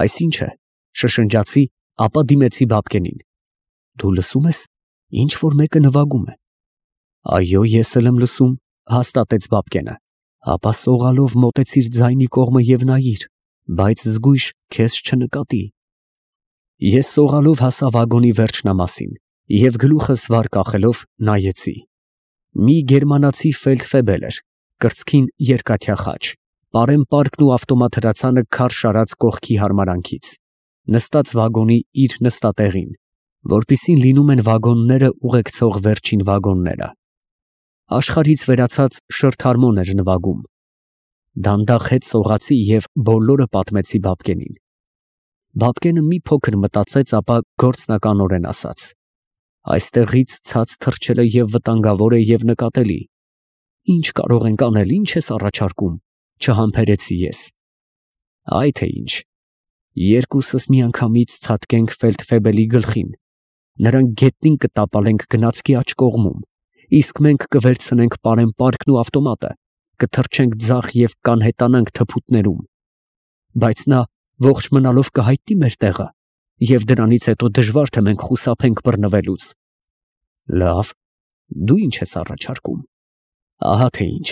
Այսինչ է, շշնջացի, ապա դիմեցի Բաբկենին. «Դու լսում ես, ինչ որ մեկը նվագում է»։ «Այո, ես էլ եմ լսում», հաստատեց Բաբկենը։ «Ապա սողալով մոտեցիր ձայնի կողմը և նայիր, բայց զգույշ քեզ չնկատի»։ Ես սողալով հասա վագոնի վերջնամասին և գլուխս վար կախելով նայեցի։ Մի գերմանացի ֆելդֆեբել էր, կրծքին երկաթյա խաչ, պարեն պարկն ու ավտոմատ հրացանը քարշ արած կողքի հարմարանքից, նստած վագոնի իր նստատեղին, որպիսին լինում են վագոնները ուղեկցող վերջին վագոնները։ Աշխարհից վերացած շրթարմոն էր նվագում։ Դանդաղ հետ սողացի և բոլորը պատմեցի Բաբկենին։ Բաբկենը մի փոքր մտածեց, ապա գործնականորեն ասաց. «Այստեղից ցած թռչելը և վտանգավոր է և նկատելի։ Ինչ կարող ենք անել, ինչ ես առաջարկում», չհամբերեցի ես։ «Այ թե ինչ, երկուսս միանգամից ցատկենք ֆելդֆեբելի գլխին, նրան գետնին կտապալենք գնացքի աջ կողմում, իսկ մենք կվերցնենք պարեն պարկն ու ավտոմատը, կթռչենք ձախ և կանհետանանք թփուտներում, բայց նա ողջ մնալով կհայտնի մեր տեղը, և դրանից հետո դժվար թե մենք խուսափենք բռնվելուց»։ «Լավ, դու ինչ ես առաջարկում»։ «Ահա թե ինչ»,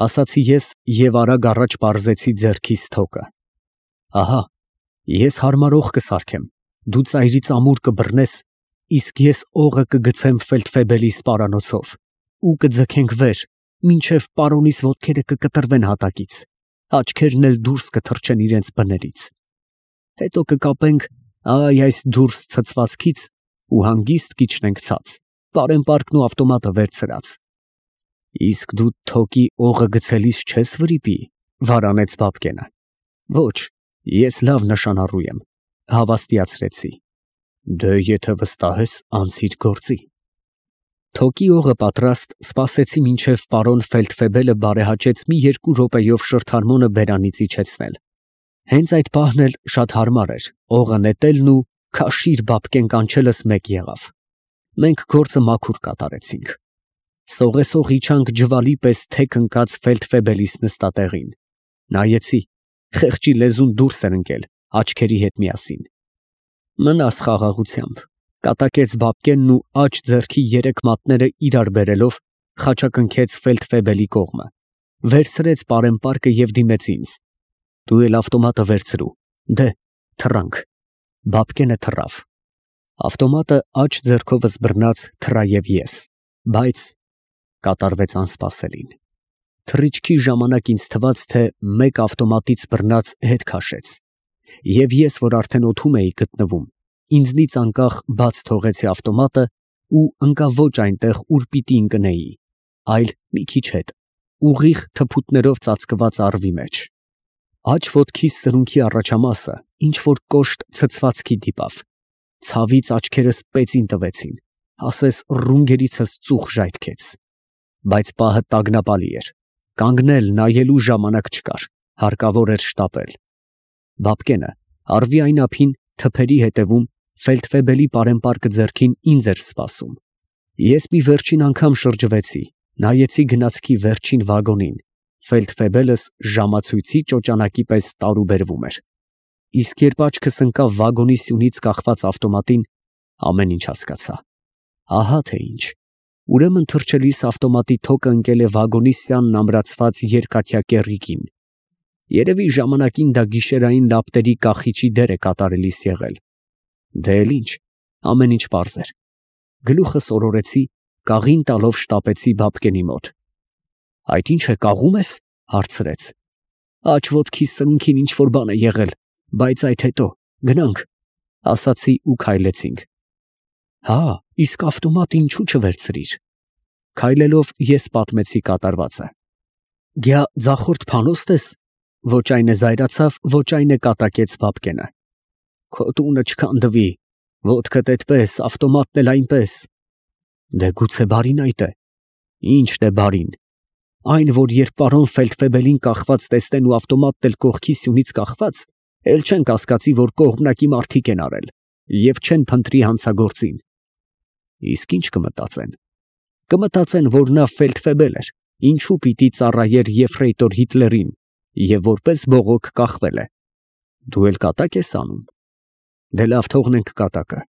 ասացի ես և արագ առաջ պարզեցի ձեռքիս թոկը։ «Ահա, ես հարմարող կսարքեմ, դու ծայրից ամուր կբռնես, իսկ ես օղը կգցեմ ֆելդֆեբելի սպարանոցով ու կձգենք վեր, մինչև պարոնիս ոտքերը կկտրվեն հատակից, աչքերն էլ դուրս կթռչեն իրենց բներից։ Հետո կկապենք այս դուրս ցցվածքից ու հանգիստ կիջնենք ցած, պարեն պարկն ու ավտոմատը վերցրած»։ «Իսկ դու թոկի օղը գցելիս չես վրիպի», վարանեց Բաբկենը։ «Ոչ, ես լավ նշանառու եմ», հավաստիացրեցի։ «Դե եթե վստահ ես, անցիր գործի»։ Թոկի օղը պատրաստ, սպասեցի մինչև պարոն ֆելդֆեբելը բարեհաճեց մի 2 րոպեով շրթարմոնը բերանից իջեցնել։ Հենց այդ պահն էլ շատ հարմար էր, օղը նետելն ու քաշիր Բաբկեն կանչելս մեկ եղավ։ Մենք գործը մաքուր կատարեցինք։ Սողեսող իջանք ջվալի պես թեք ընկած ֆելդֆեբելիս նստատեղին։ Նայեցի, խեղճի լեզուն դուրս էր ընկել, աչքերի հետ միասին։ «Մնաս խաղաղությամբ», կատակեց Բաբկենն ու աջ ձեռքի 3 մատները իրար բերելով խաչակնքեց ֆելդֆեբելի կողմը, վերցրեց պարեն պարկը և դիմեց ինձ։ «Դու էլ ավտոմատը վերցրու, դե, թռանք»։ Բաբկենը թռավ։ Ավտոմատը աջ ձեռքովս բռնած թռա և ես, բայց կատարվեց անսպասելին։ Թռիչքի ժամանակ ինձ թվաց, թե մեկ ավտոմատից բռնած հետ քաշեց, և ես, որ արդեն օդում էի գտնվում, ինձնից անկախ բաց թողեցի ավտոմատը ու ընկա ոչ այնտեղ, ուր պիտի ընկնեի, այլ մի քիչ հետ, ուղիղ թփուտներով ծածկված առվի մեջ։ Աջ ոտքիս սրունքի առաջամասը ինչ որ կոշտ ցցվածքի դիպավ, ցավից աչքերս պեծին տվեցին, ասես ռունգերիցս ծուխ ժայթքեց։ Բայց պահը տագնապալի էր, կանգնել նայելու ժամանակ չկար, հարկավոր էր շտապել։ Բաբկենը առվի այն ափին թփերի հետևում ֆելդֆեբելի պարեն պարկը ձեռքին ինձ էր սպասում։ Ես մի վերջին անգամ շրջվեցի, նայեցի գնացքի վերջին վագոնին, ֆելդֆեբելս ժամացույցի ճոճանակի պես տարուբերվում էր, իսկ երբ աչքս ընկավ վագոնի սյունից կախված ավտոմատին, ամեն ինչ հասկացա։ Ահա թե ինչ, ուրեմն թռչելիս ավտոմատի թոկը ընկել է վագոնի սյանն ամրացված երկաթյա կեռիկին։ Երևի ժամանակին դա գիշերային լապտերի կախիչի դեր է կատարելիս եղել։ Դե էլ ինչ, ամեն ինչ պարզ էր։ Գլուխս օրորեցի, կաղին տալով շտապեցի Բաբկենի մոտ։ «Այդ ի՞նչ է, կաղում ես»։ հարցրեց։ «Աջ ոտքիս սրունքին ինչ որ բան է եղել, բայց այդ հետո, գնանք», ասացի ու քայլեցինք։ «Հա, իսկ ավտոմատը ինչու չվերցրիր»։ Քայլելով ես պատմեցի կատարվածը։ «Գյա ձախորդ փանոստը ես»։ Ոչ այն է զայրացավ, ոչ այն է կատակեց Բաբկենը։ «Քո տունը չքանդվի, ոտքդ էդպես, ավտոմատն էլ այնպես»։ «Դե գուցե բարին այդ է»։ «Ի՞նչն է բարին»։ «Այն, որ երբ պարոն ֆելդֆեբելին կախված տեսնեն ու ավտոմատն էլ կողքի սյունից կախված, էլ չեն կասկածի, որ կողմնակի մարդիկ են արել և չեն փնտրի հանցագործին»։ «Իսկ ի՞նչ կմտածեն»։ «Կմտածեն, որ նա ֆելդֆեբել էր, ինչու պիտի ծառայեր եֆրեյտոր Հիտլերին և որպես բողոք կախվել է»։ Դու էլ կատակ ես անում։ Դե լավ, թողնենք կատակը,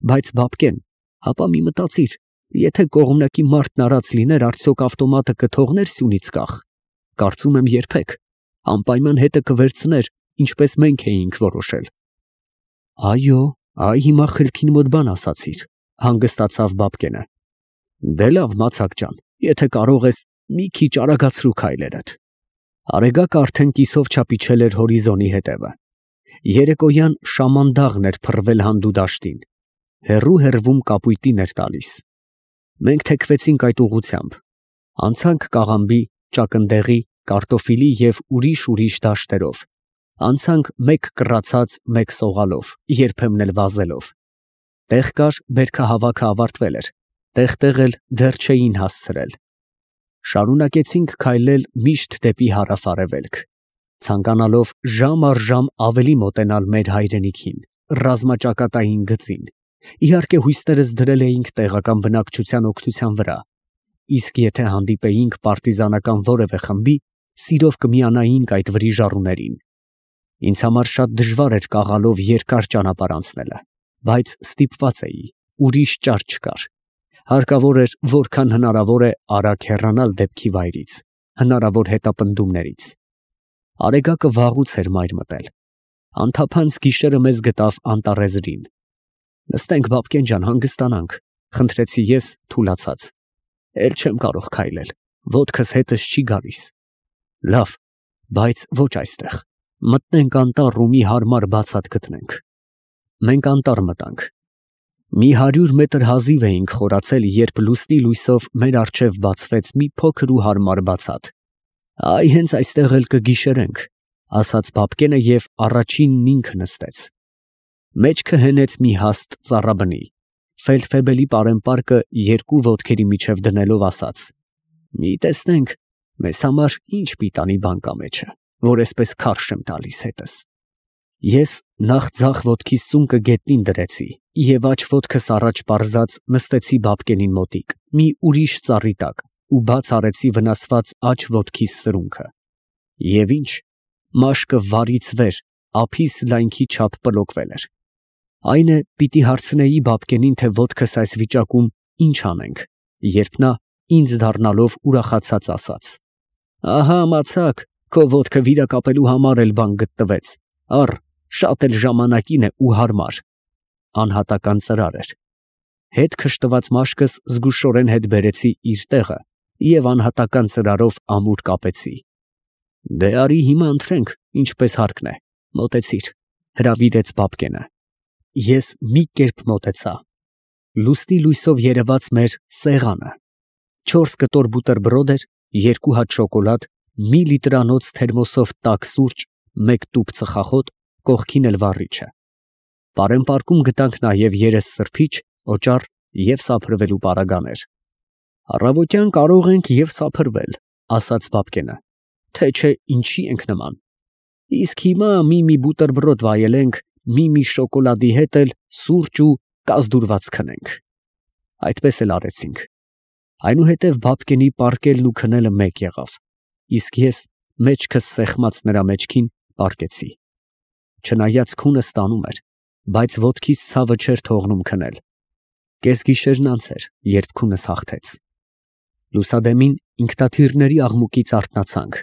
բայց բաբկեն, հապա մի մտածիր, եթե կողմնակի մարդն արած լիներ, արդյոք ավտոմատը կթողներ սյունից կախ։ Կարծում եմ երբեք, անպայման հետը կվերցներ, ինչպես մենք էինք որոշել։ Այո, այ հիմա խելքին մոտ բան ասացիր, հանգստացավ բաբկենը։ Դե լավ, մացակ ջան, եթե կարող ես, մի քիչ արագացրու քայլերդ։ Արեգակը արդեն կիսով չափիչել էր հորիզոնի հետևը։ Երեկոյան շամանդաղն էր փռվել հանդու դաշտին, հեռվում կապույտին էր տալիս։ Մենք թեքվեցինք այդ ուղությամբ, անցանք Կաղամբի, Ճակնդեղի, Կարտոֆիլի և ուրիշ դաշտերով, անցանք մեկ կռացած, մեկ սողալով, երբեմն էլ վազելով։ Տեղ կար, բերքահավաքը ավարտվել էր, տեղ էլ դեռ չէին հասցրել։ Շարունակեցինք քայլել միշտ դեպի հարավ-արևելք, ցանկանալով ժամ առ ժամ ավելի մոտենալ մեր հայրենիքին, ռազմաճակատային գծին։ Իհարկե հույսներս դրել էինք տեղական բնակչության օգնության վրա, իսկ եթե հանդիպեինք պարտիզանական որևէ խմբի, սիրով կմիանայինք այդ վրիժառուներին։ Ինձ համար շատ դժվար էր կաղալով երկար ճանապարհ անցնելը, բայց ստիպված էի, ուրիշ ճար չկար։ Հարկավոր էր, որքան հնարավոր է արագ հեռանալ դեպքի վայրից, հնարավոր հետապնդումներից։ Արեգակը վաղուց էր մայր մտել։ Անթափանց գիշերը մեզ գտավ անտառեզրին։ Նստենք, բաբկեն ջան, հանգստանանք, խնդրեցի ես թուլացած։ Էլ չեմ կարող քայլել, ոտքս հետս չի գալիս։ Լավ, բայց ոչ այստեղ։ Մտնենք անտառ ու մի հարմար բացատ գտնենք։ Մենք անտառ մտանք։ Մի 100 մետր հազիվ էինք խորացել, երբ լուսնի լույսով մեր առջև բացվեց մի փոքր ու հարմար բացատ։ Այ հենց այստեղ էլ կգիշերենք, ասաց բաբկենը և առաջինն ինքը նստեց։ Մեջքը հենեց մի հաստ ծառաբնի, ֆելդֆեբելի պարեմպարկը երկու ոտքերի միջև դնելով ասաց. մի տեսնենք, մեզ համար ինչ պիտանի բան կա մեջը, որ այսպես քարշ եմ տալիս հետս։ Ես նախ ձախ ոտքիս սունկը գետնին դրեցի և աջ ոտքս առաջ պարզած նստեցի բաբկենին մոտիկ, մի ուրիշ ծառի տակ ու բաց արեցի վնասված աջ ոտքիս սրունքը։ Եվ ինչ, մաշկը վարից վեր, ափիս լայնքի չափ պլոկվել էր։ Այն է, պիտի հարցնեի բաբկենին, թե ոտքս այս վիճակում ինչ անենք, երբ նա ինձ դառնալով ուրախացած ասաց. ահա մացակ, քո ոտքը վիրակապելու համար էլ բան գտնվեց, առ, շատ էլ ժամանակին է ու հարմար։ Անհատական ծրար էր։ Հետ քշտված մաշկս զգուշորեն հետ բերեցի իր տեղը և անհատական ծրարով ամուր կապեցի։ Դե արի հիմա ընթրենք, ինչպես հարկն է, մոտեցիր, հրավիրեց բաբկենը։ Ես մի կերպ մոտեցա։ Լուսնի լույսով երևաց մեր սեղանը։ 4 կտոր բուտերբրոդ էր, 2 հատ շոկոլադ, մի լիտրանոց թերմոսով տաք սուրճ, 1 տուփ ծխախոտ, կողքին էլ վառիչը։ Պարեմպարկում գտանք նաև երես սրբիչ, օճառ և սափրվելու պարագաներ։ Առավոտյան կարող ենք և սափրվել, ասաց բաբկենը, թե չէ ինչի ենք նման։ Իսկ հիմա մի բուտերբրոդ վայելենք, մի շոկոլադի հետ էլ սուրճ ու կազդուրված քնենք։ Այդպես էլ արեցինք։ Այնուհետև բաբկենի պառկելն ու քնելը մեկ եղավ, իսկ ես մեջքս սեղմած նրա մեջքին պառկեցի։ Չնայած քունը ստանում էր, բայց ոտքիս ցավը չէր թողնում քնել։ Կեսգիշերն անց էր, երբ քունս հաղթեց։ Լուսադեմին ինքնաթիռների աղմուկից արթնացանք։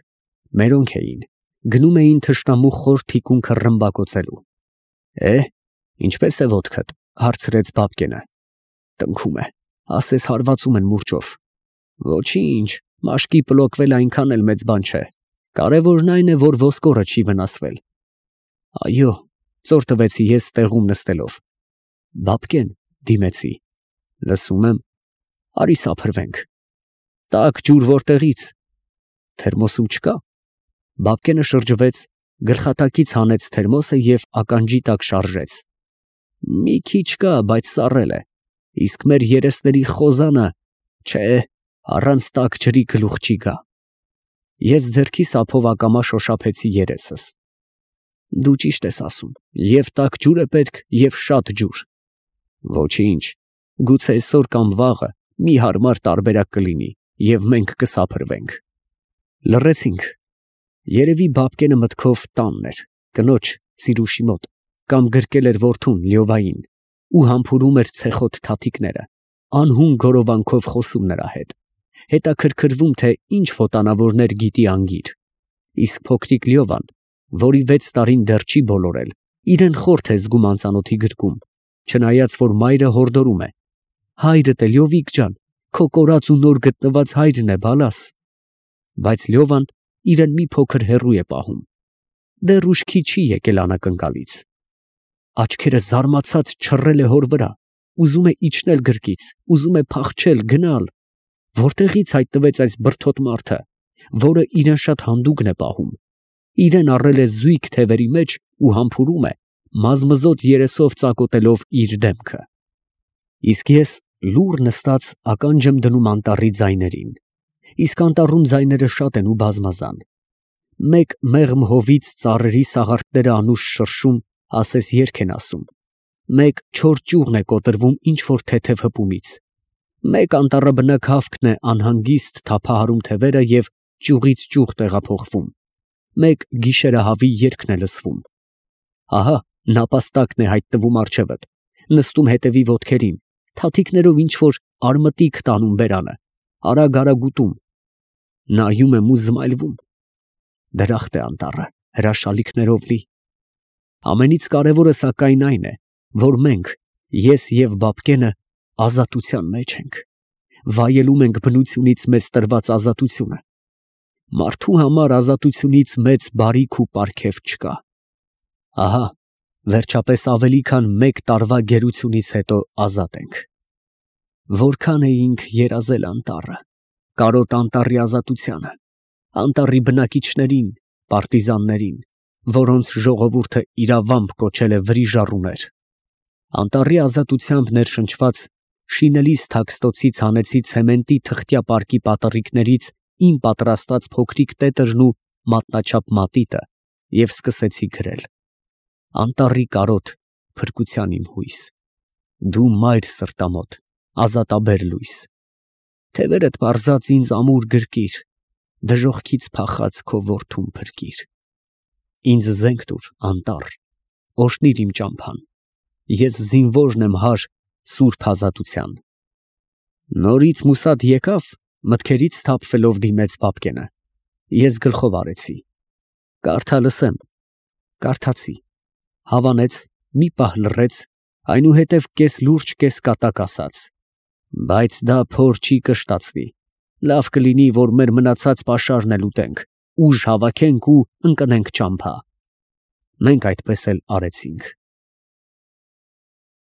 Մերոնք էին, գնում էին թշնամու խոր թիկունքը ռմբակոծելու։ Ինչպես է ոտքդ, հարցրեց բաբկենը։ Տնքում է, ասես հարվածում են մուրճով։ Ոչինչ, մաշկի պլոկվել այնքան էլ մեծ բան չէ։ Կարևորն այն է, որ ոսկորը չի վնասվել։ Այո, ծոր տվեցի ես տեղում նստելով։ Բաբկեն, դիմեցի։ Լսում եմ, արի սափրվենք։ Տաք ջուր որտեղից։ Թերմոսում չկա։ Բաբկենը շրջվեց, գլխատակից հանեց թերմոսը և ականջի տակ շարժեց։ Մի քիչ կա, բայց սառել է, իսկ մեր երեսների խոզանը, չէ, առանց տաք ջրի գլուխ չի գա։ Ես ձեռքիս ափով ակամա շոշափեցի երեսս։ Դու ճիշտ ես ասում, և տաք ջուր է պետք, և շատ ջուր։ Ոչինչ, գուցե այսօր կամ վաղը մի հարմար տարբերակ կլինի, և մենք կսափրվենք։ Լռեցինք։ Երևի բաբկենը մտքով տանն էր, կնոջ Սիրուշի մոտ, կամ գրկել էր որդուն Լյովային ու համբուրում էր ցեխոտ թաթիկները, անհուն գորովանքով խոսում նրա հետ, հետաքրքրվում, թե ինչ ոտանավորներ գիտի անգիր, իսկ փոքրիկ Լյովան, որի 6 տարին դեռ չի բոլորել, իրեն խորթ է զգում անծանոթի գրկում, չնայած որ մայրը հորդորում է. հայրդ է Լյովիկ ջան, քո կորած ու նոր գտնված հայրն է բալաս, բայց Լյովան իրեն մի փոքր հեռու է պահում, դեռ ուշքի չի եկել անակնկալից, աչքերը զարմացած չռել է հոր վրա, ուզում է իջնել գրկից, ուզում է փախչել, գնալ, որտեղից հայտնվեց այս բրդոտ մարդը, որը իրեն շատ հանդուգն է պահում, իրեն առել է զույգ թևերի մեջ ու համբուրում է, մազմզոտ երեսով ծակոտելով իր դեմքը։ Իսկ ես լուռ նստած ականջ եմ դնում անտառի ձայներին, իսկ անտառում ձայները շատ են ու բազմազան, մեկ մեղմ հովից ծառերի սաղարթները անուշ շրշում, ասես երգ են ասում, մեկ չոր ճյուղն է կոտրվում ինչ-որ թեթև հպումից, մեկ անտառաբնակ հավքն է անհանգիստ թափահարում թևերը և ճյուղից ճյուղ տեղափոխվում, մեկ գիշերահավի երգն է լսվում։ Ահա նապաստակն է հայտնվում առջևդ, նստում հետևի ոտքերին, թաթիկներով ինչ-որ արմտիկ տանում բերանը, արագ ուտում, նայում եմ ու զմայլվում։ Դրախտ է անտառը, հրաշալիքներով լի։ Ամենից կարևորը սակայն այն է, որ մենք, ես և Բաբկենը, ազատության մեջ ենք, վայելում ենք բնությունից մեզ տրված ազատությունը։ Մարդու համար ազատությունից մեծ բարիք ու պարգև չկա։ Ահա, վերջապես ավելի քան 1 տարվա գերությունից հետո ազատ ենք։ Որքան էինք երազել անտառը, կարոտ անտառի ազատությանը, անտառի բնակիչներին, պարտիզաններին, որոնց ժողովուրդը իրավամբ կոչել է վրիժառուներ, անտառի ազատությամբ ներշնչված շինելիս թաքստոցից հանեցի ցեմենտի թղթյա պարկի պատառիկներից իմ պատրաստած փոքրիկ տետրն ու մատնաչափ մատիտը և սկսեցի գրել. անտառի կարոտ, փրկության իմ հույս, դու մայր սրտամոտ, ազատաբեր լույս, թևերդ պարզած ինձ ամուր գրկիր, դժոխքից փախած քո որդուն փրկիր, ինձ զենք տուր անտառ, օրհնիր իմ ճամփան, ես զինվորն եմ հար սուրբ ազատության։ Նորից մուսատ եկավ, մտքերից սթափվելով դիմեց Բաբկենը, ես գլխով արեցի, կարդա լսեմ, կարդացի, հավանեց, մի պահ լռեց, այնուհետև կես լուրջ, կես կատակ ասաց. բայց դա փոր չի կշտացնի, լավ կլինի, որ մեր մնացած պաշարն էլ ուտենք, ուժ հավաքենք ու ընկնենք ճամփա։ Մենք այդպես էլ արեցինք։